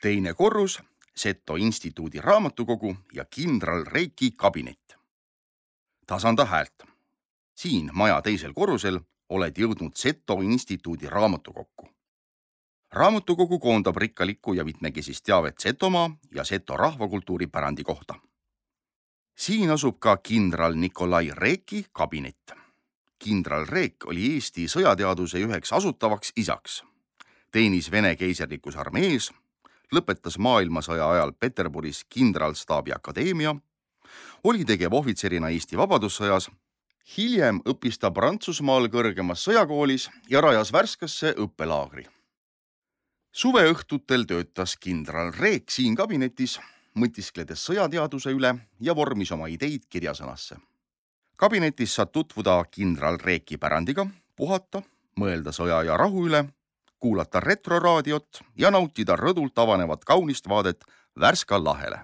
Teine korrus, Seto instituudi raamatukogu ja kindral Reiki kabinet. Tasanda häält. Siin maja teisel korrusel oled jõudnud Seto instituudi raamatukokku. Raamatukogu koondab rikkalikku ja mitmekesist teavet Setomaa ja Seto rahvakultuuri pärandi kohta. Siin asub ka kindral Nikolai Reiki kabinet. Kindral Reek oli Eesti sõjateaduse üheks asutavaks isaks. Teenis Vene keiserlikus armees, lõpetas maailmasõja ajal Peterburis kindralstaabi akadeemia, oli tegevohvitserina Eesti Vabadussõjas, hiljem õppis ta Prantsusmaal kõrgemas sõjakoolis ja rajas Värskasse õppelaagri. Suveõhtutel töötas kindral Reek siin kabinetis, mõtiskledes sõjateaduse üle ja vormis oma ideid kirjasõnasse. Kabinetis saad tutvuda kindral Reeki pärandiga, puhata, mõelda sõja ja rahu üle, kuulata retroraadiot ja nautida rõdult avanevat kaunist vaadet Värska lahele.